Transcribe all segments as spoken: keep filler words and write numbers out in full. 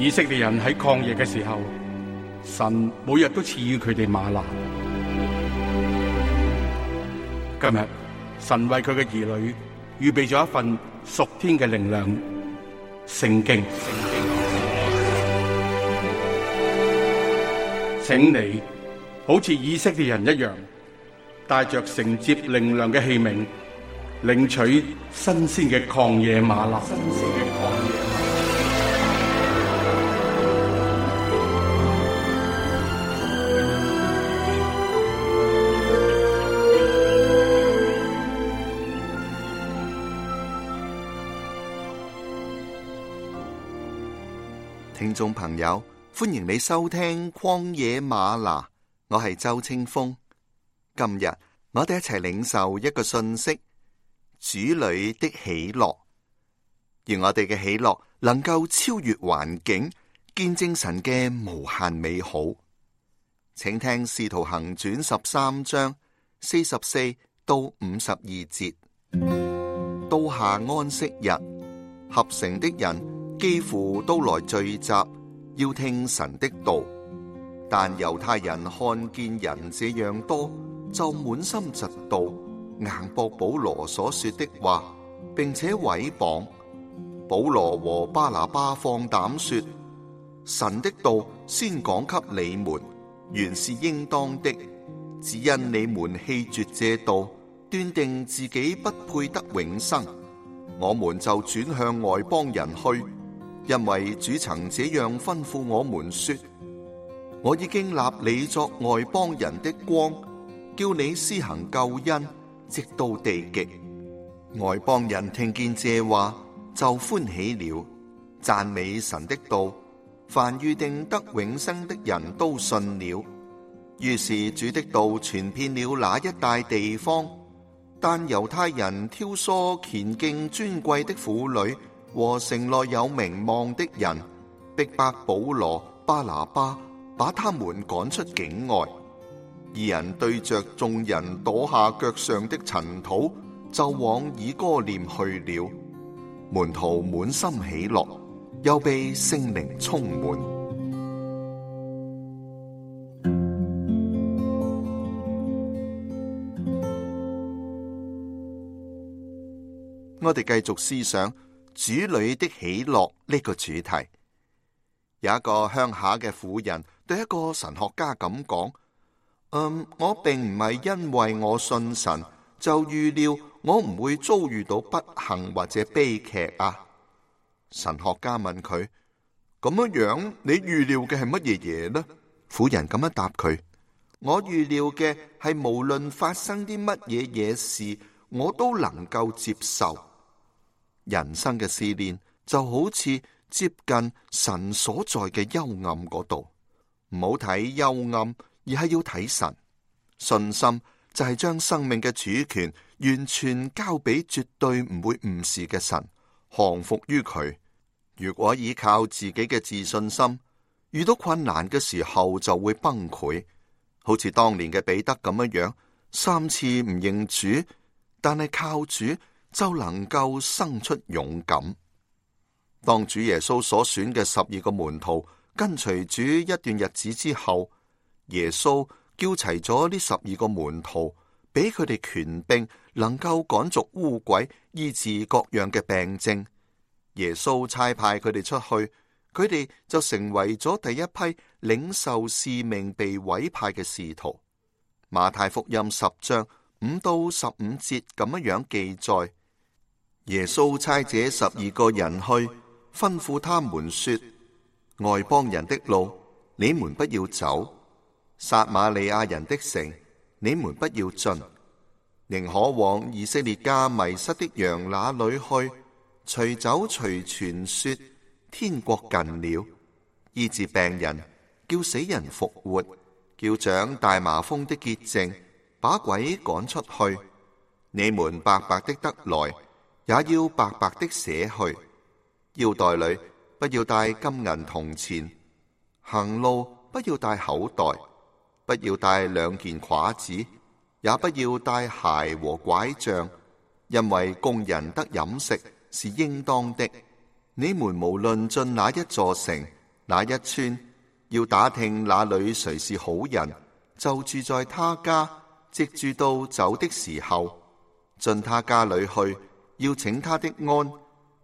以色列人喺曠野嘅時候，神每日都賜予佢哋嗎哪。今日神為佢嘅兒女預備咗一份屬天嘅靈糧——聖經。請你好似以色列人一樣，帶着承接靈糧嘅器皿，領取新鮮嘅曠野嗎哪。聽眾朋友，歡迎你收聽曠野嗎哪，我係周清風。今日我哋一齊領受一個信息：主裏的喜樂。而我哋嘅喜樂能夠超越環境，見證神嘅無限美好。請聽《使徒行傳》十三章四十四到五十二節。到下安息日，合城的人幾乎都來聚集，要聽神的道。但猶太人看見人這樣多，就滿心嫉妒，硬駁保羅所說的話，並且毀謗。保羅和巴拿巴放膽說：神的道先講給你們，原是應當的，只因你們棄絕這道，斷定自己不配得永生，我們就轉向外邦人去。因為主曾這樣吩咐我們說：我已經立你作外邦人的光，叫你施行救恩，直到地極。外邦人聽見這話，就歡喜了，讚美神的道。凡預定得永生的人都信了。於是主的道傳遍了那一帶地方。但猶太人挑唆虔敬尊貴的婦女和城內有名望的人，逼迫保羅、巴拿巴，把他們趕出境外。二人對着眾人跺下腳上的塵土，就往以哥念去了。門徒滿心喜樂，又被聖靈充滿。我哋繼續思想主裏的喜樂呢個主題。有一個鄉下嘅婦人對一個神學家咁講：嗯，我並唔係因為我信神就預料我唔會遭遇到不幸或者悲劇啊。神學家問佢：咁樣樣你預料嘅係乜嘢嘢呢？婦人咁樣答佢：我預料嘅係無論發生啲乜嘢嘢事，我都能夠接受。人生嘅試煉就好似接近神所在嘅幽暗嗰度，唔好睇幽暗，而係要睇神。信心就係將生命嘅主權完全交俾絕對唔會誤事嘅神，降服於佢。如果依靠自己嘅自信心，遇到困難嘅時候就會崩潰，好似當年嘅彼得咁樣樣，三次唔認主，但係靠主就能夠生出勇敢。當主耶穌所選嘅十二個門徒跟隨主一段日子之後，耶穌叫齊咗呢十二個門徒，俾佢哋權柄，能夠趕逐污鬼，醫治各樣嘅病症。耶穌差派佢哋出去，佢哋就成為咗第一批領受使命被委派嘅使徒。馬太福音十章五到十五節咁樣樣記載：耶穌差這十二個人去，吩咐他們說：外邦人的路，你們不要走；撒瑪利亞人的城，你們不要進，寧可往以色列家迷失的羊那裏去。隨走隨傳說，天國近了，醫治病人，叫死人復活，叫長大麻風的潔淨，把鬼趕出去。你們白白的得來，也要白白的捨去。腰袋裏不要帶金銀銅錢，行路不要帶口袋，不要帶兩件褂子，也不要帶鞋和拐杖，因為工人得飲食是應當的。你們無論進哪一座城，那一村要打聽那裏誰是好人，就住在他家，直住到走的時候，進他家裏去，要請他的安。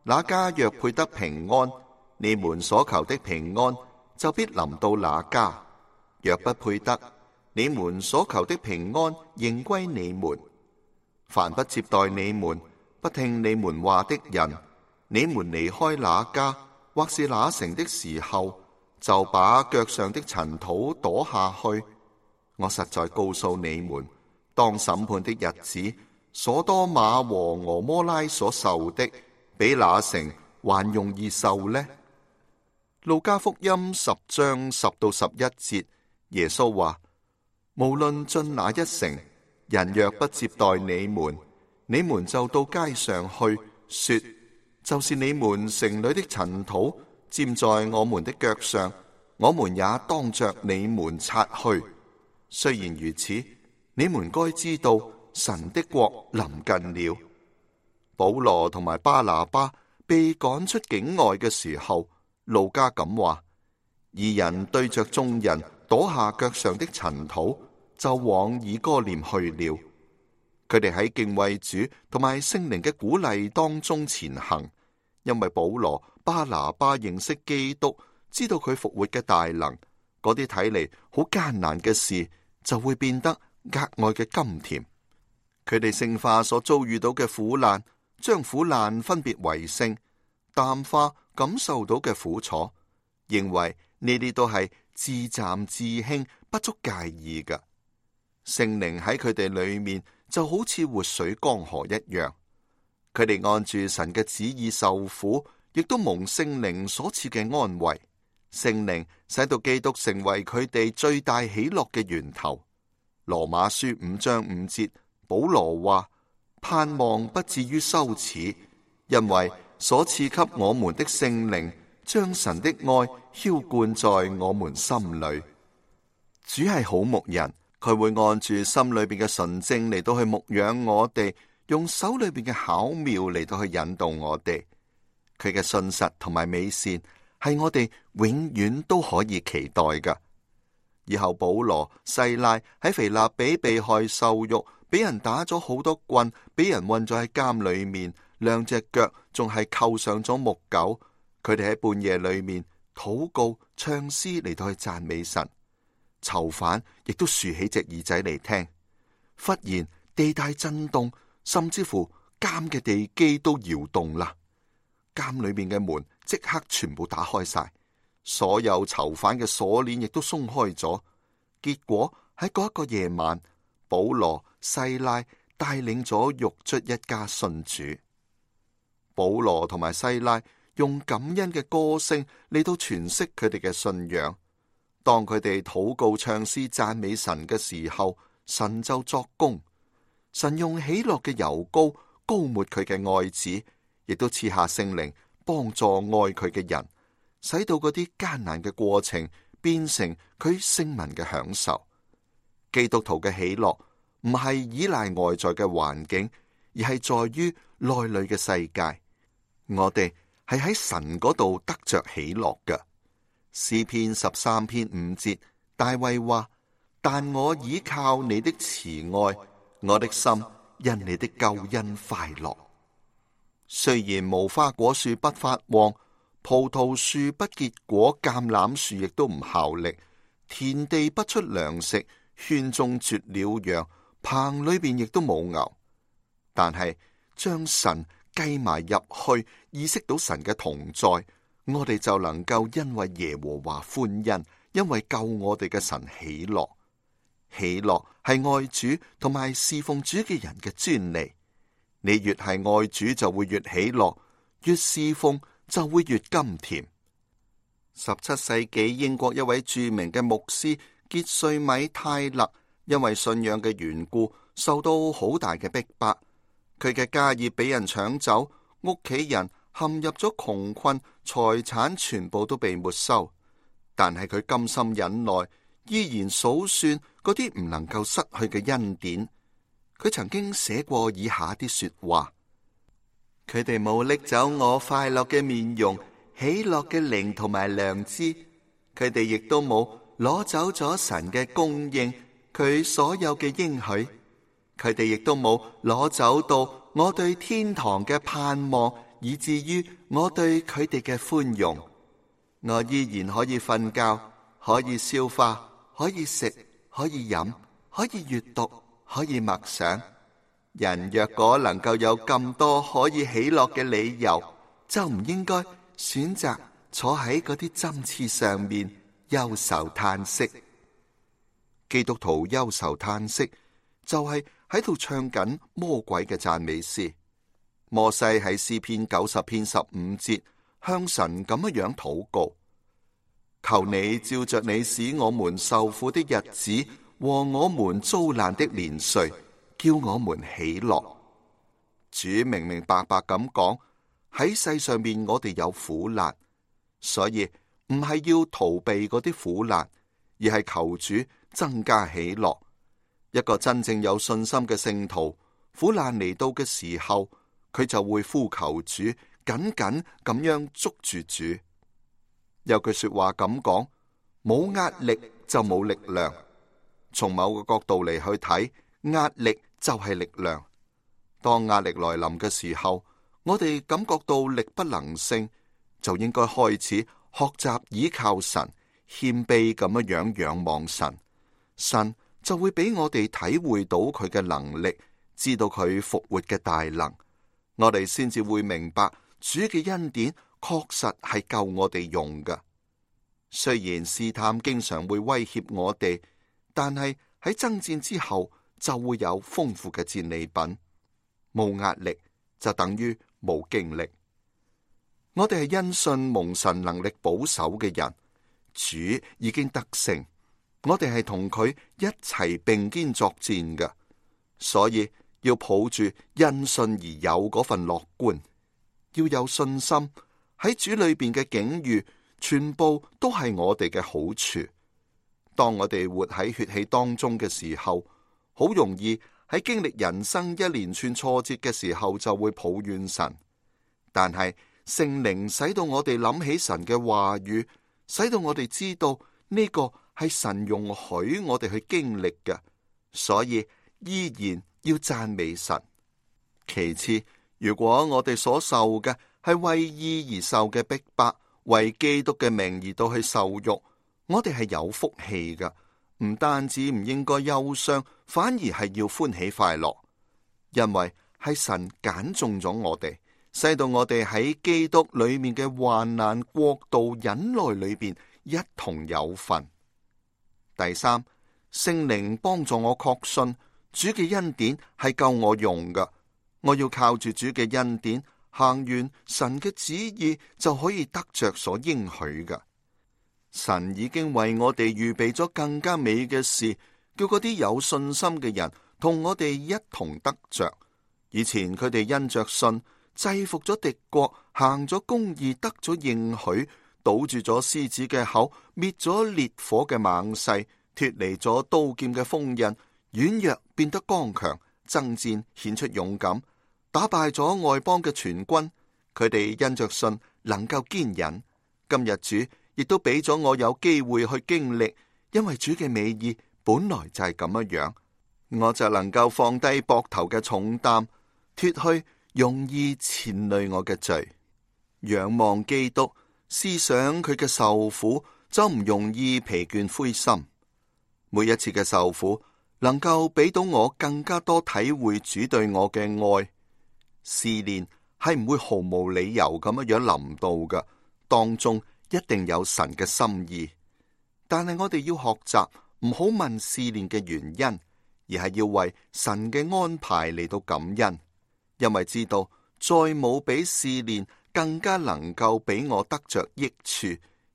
那家若配得平安，你們所求的平安就必臨到那家；若不配得，你們所求的平安仍歸你們。凡不接待你們、不聽你們話的人，你們離開那家或是那城的時候，就把腳上的塵土跺下去。我實在告訴你們，當審判的日子，所多瑪和蛾摩拉所受的，比那城還容易受呢。路加福音十章十到十一節，耶穌話：無論進哪一城，人若不接待你們，你們就到街上去，說：就是你們城裏的塵土沾在我們的腳上，我們也當着你們擦去。雖然如此，你們該知道神的國臨近了。保羅同埋巴拿巴被趕出境外嘅時候，路加咁話：二人對着眾人跺下腳上的塵土，就往以哥念去了。佢哋喺敬畏主同埋聖靈嘅鼓勵當中前行，因為保羅、巴拿巴認識基督，知道佢復活嘅大能，嗰啲睇嚟好艱難嘅事就會變得格外嘅甘甜。佢哋聖化所遭遇到嘅苦難，將苦難分別為聖，淡化感受到嘅苦楚，認為呢啲都係自暫自輕，不足介意嘅。聖靈喺佢哋裏面就好似活水江河一樣，佢哋按住神嘅旨意受苦，亦都蒙聖靈所賜嘅安慰。聖靈使到基督成為佢哋最大喜樂嘅源頭。羅馬書五章五節，保羅話：盼望不至於羞恥，因為所賜給我們的聖靈將神的愛澆灌在我們心裏。主係好牧人，佢會按住心裏邊嘅純正嚟到去牧養我哋，用手裏邊嘅巧妙嚟到去引導我哋。佢嘅信實同埋美善係我哋永遠都可以期待㗎。以後保羅、西拉喺腓立比被害受辱，俾人打咗好多棍，俾人困咗喺監裏面，兩隻腳仲係扣上咗木狗。佢哋喺半夜裏面禱告、唱詩嚟到去讚美神。囚犯亦都豎起隻耳仔嚟聽。忽然地大震動，甚至乎監嘅地基都搖動啦。監裏面嘅門即刻全部打開晒，所有囚犯嘅鎖鏈亦都鬆開咗。結果喺嗰一個夜晚，保羅、西拉帶領咗獄卒一家信主。保羅同埋西拉用感恩嘅歌聲嚟到詮釋佢哋嘅信仰。當佢哋禱告、唱詩、讚美神嘅時候，神就作工。神用喜樂嘅油膏膏抹佢嘅愛子，亦都賜下聖靈幫助愛佢嘅人，使到嗰啲艱難嘅過程變成佢聖民嘅享受。基督徒嘅喜樂唔係依賴外在嘅環境，而係在於內裏嘅世界。我哋係喺神嗰度得着喜樂嘅。詩篇十三篇五節，大衛話：但我倚靠你的慈愛，我的心因你的救恩快樂。雖然無花果樹不發旺，葡萄樹不結果，橄欖樹亦都唔效力，田地不出糧食，圈中絕了羊，棚裏邊亦都冇牛，但係將神計埋入去，意識到神嘅同在，我哋就能夠因為耶和華歡欣，因為救我哋嘅神喜樂。喜樂係愛主同埋侍奉主嘅人嘅專利。你越係愛主，就會越喜樂；越侍奉，就會越甘甜。十七世紀英國一位著名嘅牧師傑瑞米泰勒，因為信仰嘅緣故，受到好大嘅逼迫。佢嘅家業俾人搶走，屋企人陷入咗窮困，財產全部都被沒收。但係佢甘心忍耐，依然數算嗰啲唔能夠失去嘅恩典。佢曾經寫過以下啲說話：佢哋冇拎走我快樂嘅面容、喜樂嘅靈同埋良知，佢哋亦都冇攞走咗神嘅供應，佢所有嘅應許，佢哋亦都冇攞走到我對天堂嘅盼望，以至於我對佢哋嘅寬容。我依然可以瞓覺，可以消化，可以食，可以飲，可以閱讀，可以默想。人若果能夠有咁多可以喜樂嘅理由，就唔應該選擇坐喺嗰啲針刺上面憂愁嘆息。基督徒憂愁嘆息，就係喺度唱緊魔鬼嘅讚美詩。摩西喺詩篇九十篇十五節向神咁樣禱告：求你照着你使我們受苦的日子和我們遭難的年歲，叫我們喜樂。主明明白白咁講，喺世上面我哋有苦難，所以唔係要逃避嗰啲苦難，而係求主增加喜樂。一個真正有信心嘅聖徒，苦難嚟到嘅時候，佢就會呼求主，緊緊咁樣捉住主。有句說話咁講：冇壓力就冇力量。從某個角度嚟去睇，壓力就係力量。當壓力來臨嘅時候，我哋感覺到力不能勝，就應該開始學習倚靠神，謙卑咁樣樣仰望神。神就會俾我哋體會到佢嘅能力，知道佢復活嘅大能。我哋先至會明白主嘅恩典確實係夠我哋用㗎。雖然試探經常會威脅我哋，但係喺爭戰之後就會有豐富嘅戰利品。冇壓力就等於冇經歷。我哋係因信蒙神能力保守嘅人，主已經得勝，我哋係同佢一齊並肩作戰嘅，所以要抱住因信而有嗰份樂觀，要有信心。喺主裏邊嘅境遇，全部都係我哋嘅好處。當我哋活喺血氣當中嘅時候，好容易喺經歷人生一連串挫折嘅時候就會抱怨神。但係聖靈使到我哋諗起神嘅話語，使到我哋知道呢個係神容許我哋去經歷嘅，所以依然要讚美神。其次，如果我哋所受嘅係為義而受嘅逼迫，為基督嘅名而到去受辱，我哋係有福氣㗎。唔單止唔應該憂傷，反而係要歡喜快樂，因為係神揀中咗我哋，使到我哋喺基督裏面嘅患難、國度、忍耐裏邊一同有份。第三，聖靈幫助我確信主嘅恩典係夠我用㗎，我要靠住主嘅恩典行完神嘅旨意，就可以得着所應許㗎。神已經為我哋預備咗更加美嘅事，叫嗰啲有信心嘅人同我哋一同得着。以前佢哋因着信制服咗敵國，行咗公義，得咗應許，堵住咗獅子嘅口，滅咗烈火嘅猛勢，脫離咗刀劍嘅鋒刃，軟弱變得剛強，爭戰顯出勇敢，打敗咗外邦嘅全軍。佢哋因着信能夠堅忍。今日主亦都俾咗我有機會去經歷，因為主嘅美意本來就係咁樣樣，我就能夠放低膊頭嘅重擔，脫去容易纏累我嘅罪，仰望基督，思想佢嘅受苦，就唔容易疲倦灰心。每一次嘅受苦，能夠俾到我更加多體會主對我嘅愛。試煉係唔會毫無理由咁樣樣臨到嘅，當中一定有神嘅心意，但係我哋要學習唔好問試煉嘅原因，而係要為神嘅安排嚟到感恩，因為知道再冇比試煉更加能夠俾我得着益處，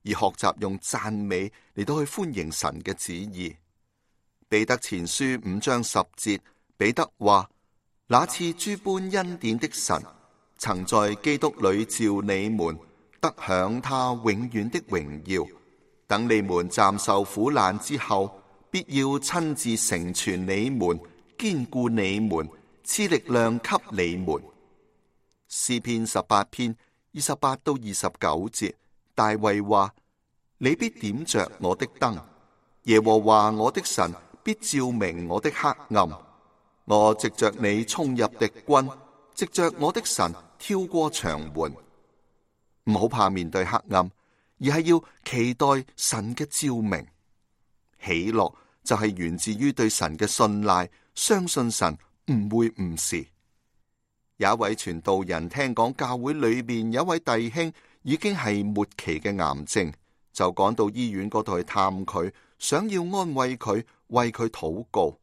而學習用讚美嚟到去歡迎神嘅旨意。彼得前書五章十節，彼得話：那賜諸般恩典的神，曾在基督裏召你們得享他永遠的榮耀，等你們暫受苦難之後，必要親自成全你們，堅固你們，賜力量給你們。詩篇十八篇二十八到二十九節，大衛話：你必點着我的燈，耶和華我的神必照明我的黑暗。我藉着你衝入敵軍，藉着我的神跳過牆垣。唔好怕面對黑暗，而係要期待神嘅照明。喜樂就係源自於對神嘅信賴，相信神唔會誤事。有一位傳道人聽講教會裏面有一位弟兄已經係末期嘅癌症，就趕到醫院嗰度去探佢，想要安慰佢，為佢禱告。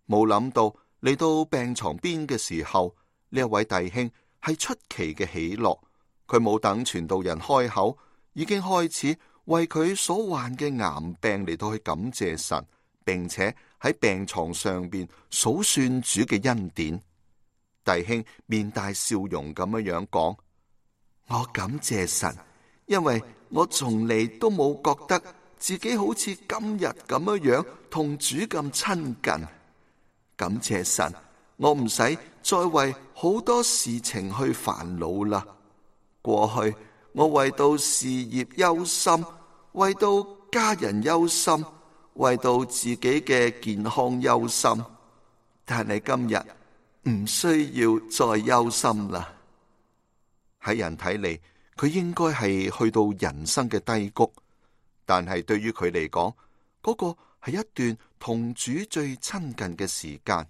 冇諗到嚟到病床邊嘅時候，呢一位弟兄係出奇嘅喜樂。佢冇等傳道人開口，已經開始為佢所患嘅癌病嚟到去感謝神，並且喺病床上邊數算主嘅恩典。弟兄面帶笑容咁樣樣講：我感謝神，因為我從嚟都冇覺得自己好似今日咁樣樣同主咁親近。感謝神，我唔使再為好多事情去煩惱啦。過去我為到事業憂心，為到家人憂心，為到自己嘅健康憂心，但係今日唔需要再憂心啦。喺人睇嚟，佢應該係去到人生嘅低谷，但係對於佢嚟講，嗰個係一段同主最親近嘅時間。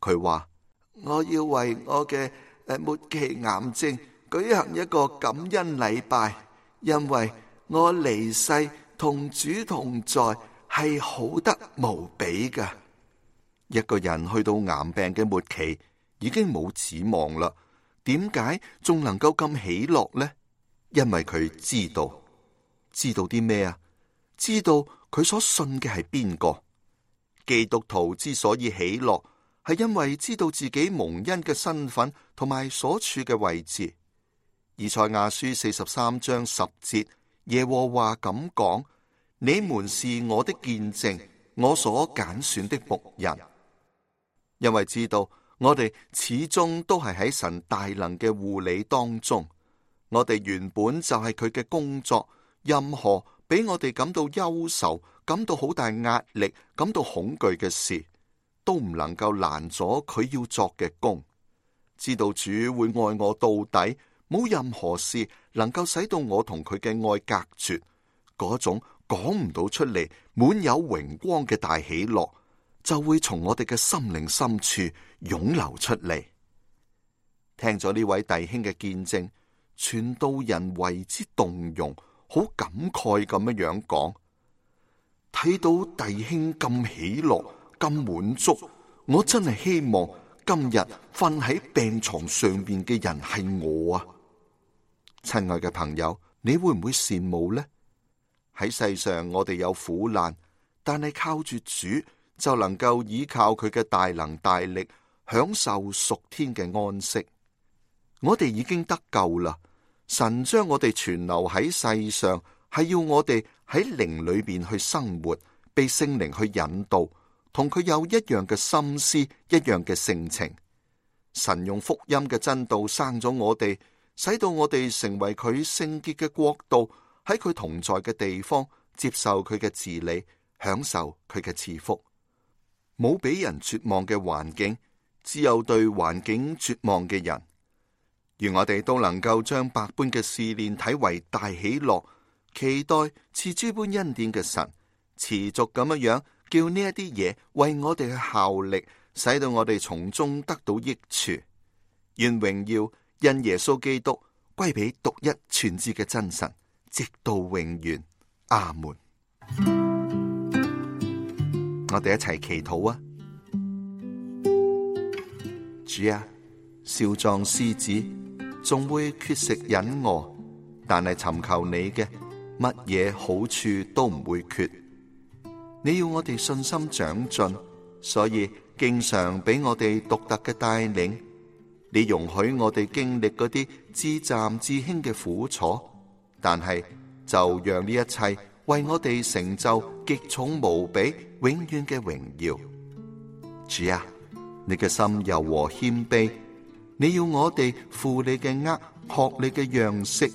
佢話：我要為我嘅誒末期癌症舉行一個感恩禮拜，因為我離世同主同在係好得無比㗎。一個人去到癌病嘅末期，已經冇指望啦。點解仲能夠咁喜樂呢？因為佢知道，知道啲咩啊？知道佢所信嘅係邊個？基督徒之所以喜樂，係因為知道自己蒙恩嘅身份同埋所處嘅位置。以賽亞書四十三章十節，耶和華咁講：你們是我的見證，我所揀選的僕人。因為知道我哋始終都係喺神大能嘅護理當中，我哋原本就係佢嘅工作，任何俾我哋感到憂愁、感到好大壓力、感到恐懼嘅事，都唔能夠攔阻佢要作嘅工。知道主會愛我到底，冇任何事能夠使到我同佢嘅愛隔絕，嗰種講唔到出嚟、滿有榮光嘅大喜樂，就會從我哋嘅心靈深處湧流出嚟。聽咗呢位弟兄嘅見證，傳道人為之動容，好感慨咁樣樣講：睇到弟兄咁喜樂、咁滿足，我真係希望今日瞓喺病床上邊嘅人係我啊！親愛嘅朋友，你會唔會羨慕呢？喺世上我哋有苦難，但係靠住主就能夠依靠佢嘅大能大力，享受屬天嘅安息。我哋已經得救啦，神將我哋存留喺世上，係要我哋喺靈裏邊去生活，被聖靈去引導，同佢有一樣嘅心思，一樣嘅性情。神用福音嘅真道生咗我哋，使到我哋成為佢聖潔嘅國度，喺佢同在嘅地方接受佢嘅治理，享受佢嘅賜福。冇俾人絕望嘅環境，只有對環境絕望嘅人。願我哋都能夠將百般嘅試煉睇為大喜樂，期待賜諸般恩典嘅神持續咁樣樣，叫呢一啲嘢為我哋去效力，使到我哋從中得到益處。願榮耀因耶穌基督歸俾獨一全知嘅真神，直到永遠。阿門。我哋一齊祈禱啊！主啊，少壯獅子仲會缺食忍餓，但係尋求你嘅乜嘢好處都唔會缺。你要我哋信心長進，所以經常俾我哋獨特嘅帶領。你容許我哋經歷嗰啲至暫至輕嘅苦楚，但係就讓呢一切為我哋成就極重無比、永遠嘅榮耀。主啊，你嘅心柔和謙卑，你要我哋負你嘅軛，學你嘅樣式，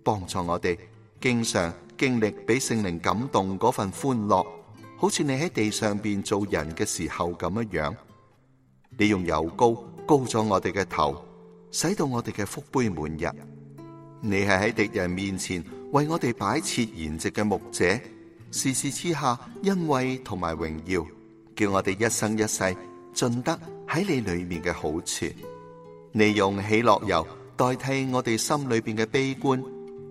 幫助我哋經常經歷俾聖靈感動嗰份歡樂，好似你喺地上邊做人嘅時候咁樣樣。你用油膏膏咗我哋嘅頭，使到我哋嘅福杯滿溢。你係喺敵人面前為我哋擺設筵席嘅牧者，時時賜下恩惠同埋榮耀，叫我哋一生一世盡得喺你裏面嘅好處。你用喜樂油代替我哋心裏邊嘅悲觀，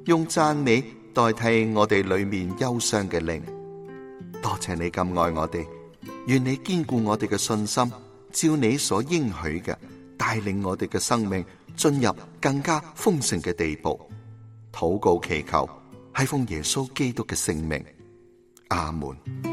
用讚美代替我哋裏面憂傷嘅靈。多謝你咁愛我哋，願你堅固我哋嘅信心，照你所應許嘅，帶領我哋嘅生命進入更加豐盛嘅地步。禱告祈求，係奉耶穌基督嘅聖名，阿門。